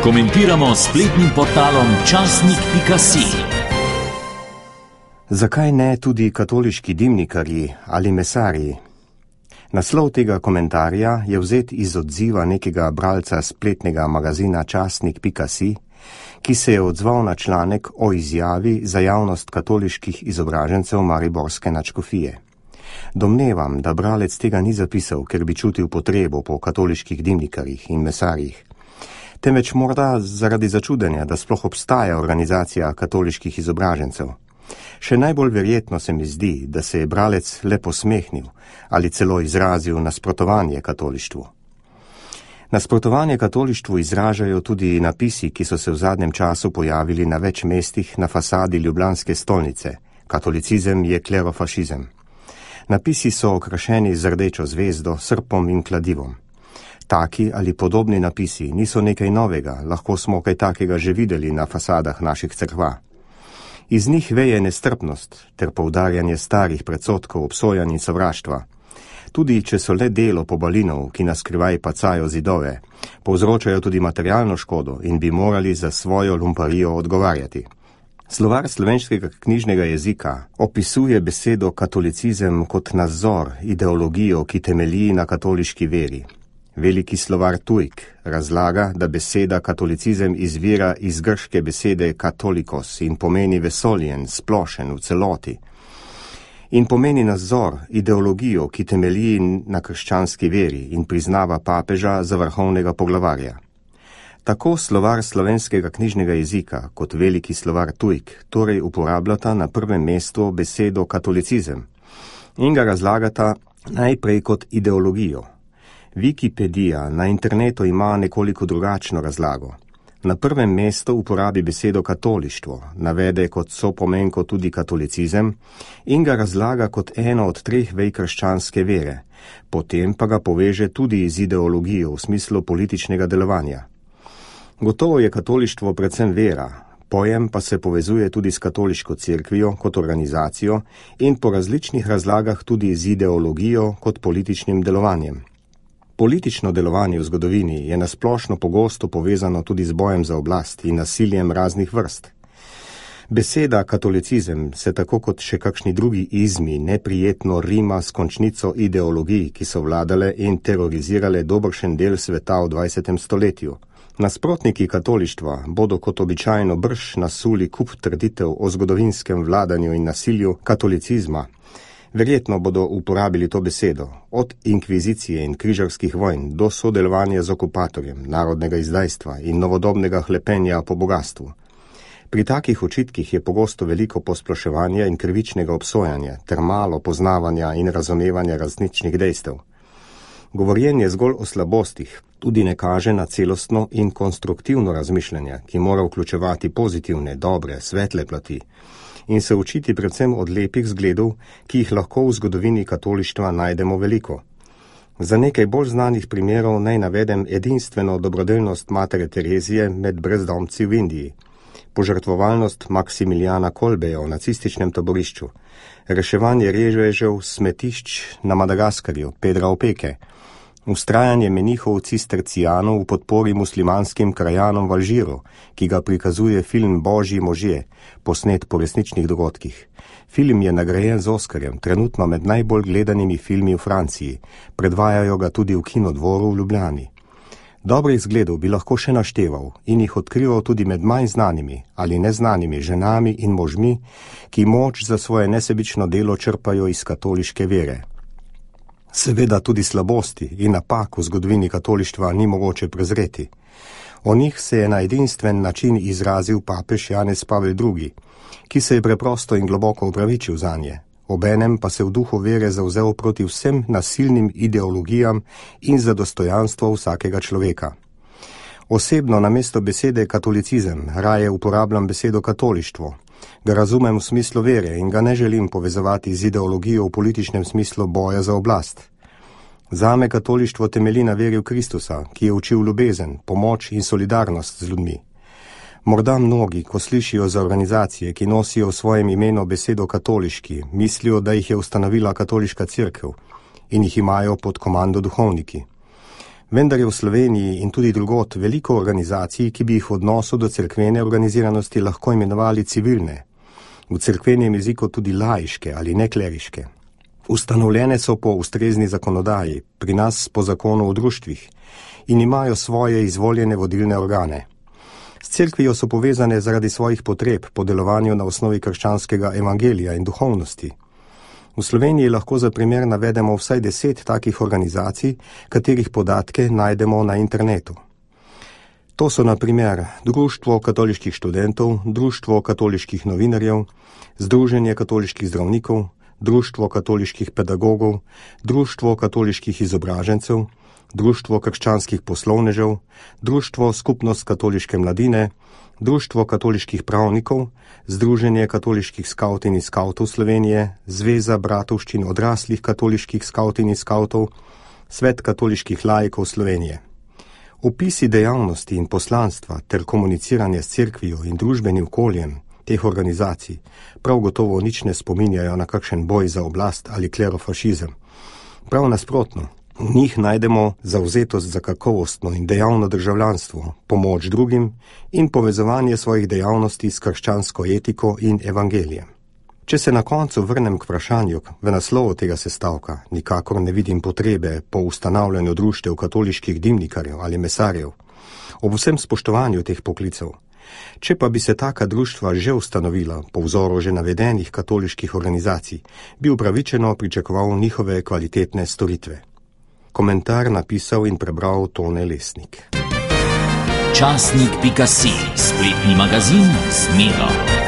Komentiramo spletnim portalom časnik.si. Zakaj ne tudi katoliški dimnikarji ali mesarji? Naslov tega komentarja je vzet iz odziva nekega bralca spletnega magazina časnik.si, ki se je odzval na članek o izjavi za javnost katoliških izobražencev mariborske nadškofije. Domnevam, da bralec tega ni zapisal, ker bi čutil potrebo po katoliških dimnikarjih in mesarjih, temveč morda zaradi začudenja, da sploh obstaja organizacija katoliških izobražencev. Še najbolj verjetno se mi zdi, da se je bralec le posmehnil ali celo izrazil nasprotovanje katolištvu. Nasprotovanje katolištvu izražajo tudi napisi, ki so se v zadnjem času pojavili na več mestih na fasadi ljubljanske stolnice: Katolicizem je klerofašizem. Napisi so okrašeni z rdečo zvezdo, srpom in kladivom. Taki ali podobni napisi niso nekaj novega, lahko smo kaj takega že videli na fasadah naših cerkva. Iz njih veje nestrpnost ter poudarjanje starih predsodkov, obsojanj in sovraštva. Tudi če so le delo pobalinov, ki na skrivaj pacajo zidove, povzročajo tudi materialno škodo in bi morali za svojo lumparijo odgovarjati. Slovar slovenskega knjižnega jezika opisuje besedo katolicizem kot nazor, ideologijo, ki temelji na katoliški veri. Veliki slovar Tujk razlaga, da beseda katolicizem izvira iz grške besede katolikos in pomeni vesoljen, splošen, v celoti. In pomeni nazor, ideologijo, ki temelji na krščanski veri in priznava papeža za vrhovnega poglavarja. Tako slovar slovenskega knjižnega jezika kot veliki slovar Tujk torej uporabljata na prvem mestu besedo katolicizem in ga razlagata najprej kot ideologijo. Wikipedija na internetu ima nekoliko drugačno razlago. Na prvem mestu uporabi besedo katolištvo, navede kot sopomenko tudi katolicizem in ga razlaga kot eno od 3 vej krščanske vere, potem pa ga poveže tudi z ideologijo v smislu političnega delovanja. Gotovo je katolištvo predvsem vera, pojem pa se povezuje tudi s katoliško cerkvijo kot organizacijo in po različnih razlagah tudi z ideologijo kot političnim delovanjem. Politično delovanje v zgodovini je nasplošno pogosto povezano tudi z bojem za oblast in nasiljem raznih vrst. Beseda katolicizem se tako kot še kakšni drugi izmi neprijetno rima s končnico ideologij, ki so vladale in terorizirale dobršen del sveta v 20. stoletju. Nasprotniki katolištva bodo kot običajno brž nasuli kup trditev o zgodovinskem vladanju in nasilju katolicizma. Verjetno bodo uporabili to besedo, od inkvizicije in križarskih vojn do sodelovanja z okupatorjem, narodnega izdajstva in novodobnega hlepenja po bogastvu. Pri takih očitkih je pogosto veliko posploševanja in krivičnega obsojanja ter malo poznavanja in razumevanja različnih dejstev. Govorjenje zgolj o slabostih tudi ne kaže na celostno in konstruktivno razmišljanje, ki mora vključevati pozitivne, dobre, svetle plati in se učiti predvsem od lepih zgledov, ki jih lahko v zgodovini katolištva najdemo veliko. Za nekaj bolj znanih primerov naj navedem edinstveno dobrodelnost matere Terezije med brezdomci v Indiji, požrtvovalnost Maksimilijana Kolbeja v nacističnem taborišču, reševanje revežev smetišč na Madagaskarju, Pedra Opeke, vztrajanje menihov cistercijanov v podpori muslimanskim krajanom v Alžiru, ki ga prikazuje film Božji možje, posnet po resničnih dogodkih. Film je nagrajen z Oskarjem, trenutno med najbolj gledanimi filmi v Franciji, predvajajo ga tudi v Kinodvoru v Ljubljani. Dobrih zgledov bi lahko še našteval in jih odkrival tudi med manj znanimi ali neznanimi ženami in možmi, ki moč za svoje nesebično delo črpajo iz katoliške vere. Seveda tudi slabosti in napak v zgodovini katolištva ni mogoče prezreti. O njih se je na edinstven način izrazil papež Janez Pavel II, ki se je preprosto in globoko opravičil zanje, obenem pa se v duhu vere zavzel proti vsem nasilnim ideologijam in za dostojanstvo vsakega človeka. Osebno namesto besede katolicizem raje uporabljam besedo katolištvo. Ga razumem v smislu vere in ga ne želim povezovati z ideologijo v političnem smislu boja za oblast. Zame katolištvo temelji na veri v Kristusa, ki je učil ljubezen, pomoč in solidarnost z ljudmi. Morda mnogi, ko slišijo za organizacije, ki nosijo v svojem imenu besedo katoliški, mislijo, da jih je ustanovila katoliška cerkev in jih imajo pod komando duhovniki. Vendar je v Sloveniji in tudi drugod veliko organizacij, ki bi jih v odnosu do cerkvene organiziranosti lahko imenovali civilne, v cerkvenem jeziku tudi laiške ali nekleriške. Ustanovljene so po ustrezni zakonodaji, pri nas po zakonu o društvih, in imajo svoje izvoljene vodilne organe. S cerkvijo so povezane zaradi svojih potreb po delovanju na osnovi krščanskega evangelija in duhovnosti. V Sloveniji lahko za primer navedemo vsaj 10 takih organizacij, katerih podatke najdemo na internetu. To so na primer Društvo katoliških študentov, Društvo katoliških novinarjev, Združenje katoliških zdravnikov, Društvo katoliških pedagogov, Društvo katoliških izobražencev, Društvo krščanskih poslovnežev, Društvo skupnost katoliške mladine, Društvo katoliških pravnikov, Združenje katoliških skavtin in skavtov Slovenije, Zveza bratovščin odraslih katoliških skavtin in skavtov, Svet katoliških laikov Slovenije. Opisi dejavnosti in poslanstva ter komuniciranje s cerkvijo in družbenim okoljem teh organizacij prav gotovo nič ne spominjajo na kakšen boj za oblast ali klerofašizem. Prav nasprotno, v njih najdemo zavzetost za kakovostno in dejavno državljanstvo, pomoč drugim in povezovanje svojih dejavnosti s krščansko etiko in evangelijem. Če se na koncu vrnem k vprašanju v naslovu tega sestavka, nikakor ne vidim potrebe po ustanavljanju društev katoliških dimnikarjev ali mesarjev, ob vsem spoštovanju teh poklicev. Če pa bi se taka društva že ustanovila po vzoru že navedenih katoliških organizacij, bi upravičeno pričakoval njihove kvalitetne storitve. Komentar napisal in prebral Tone Lesnik. Časnik.si, spletni magazin z Miro.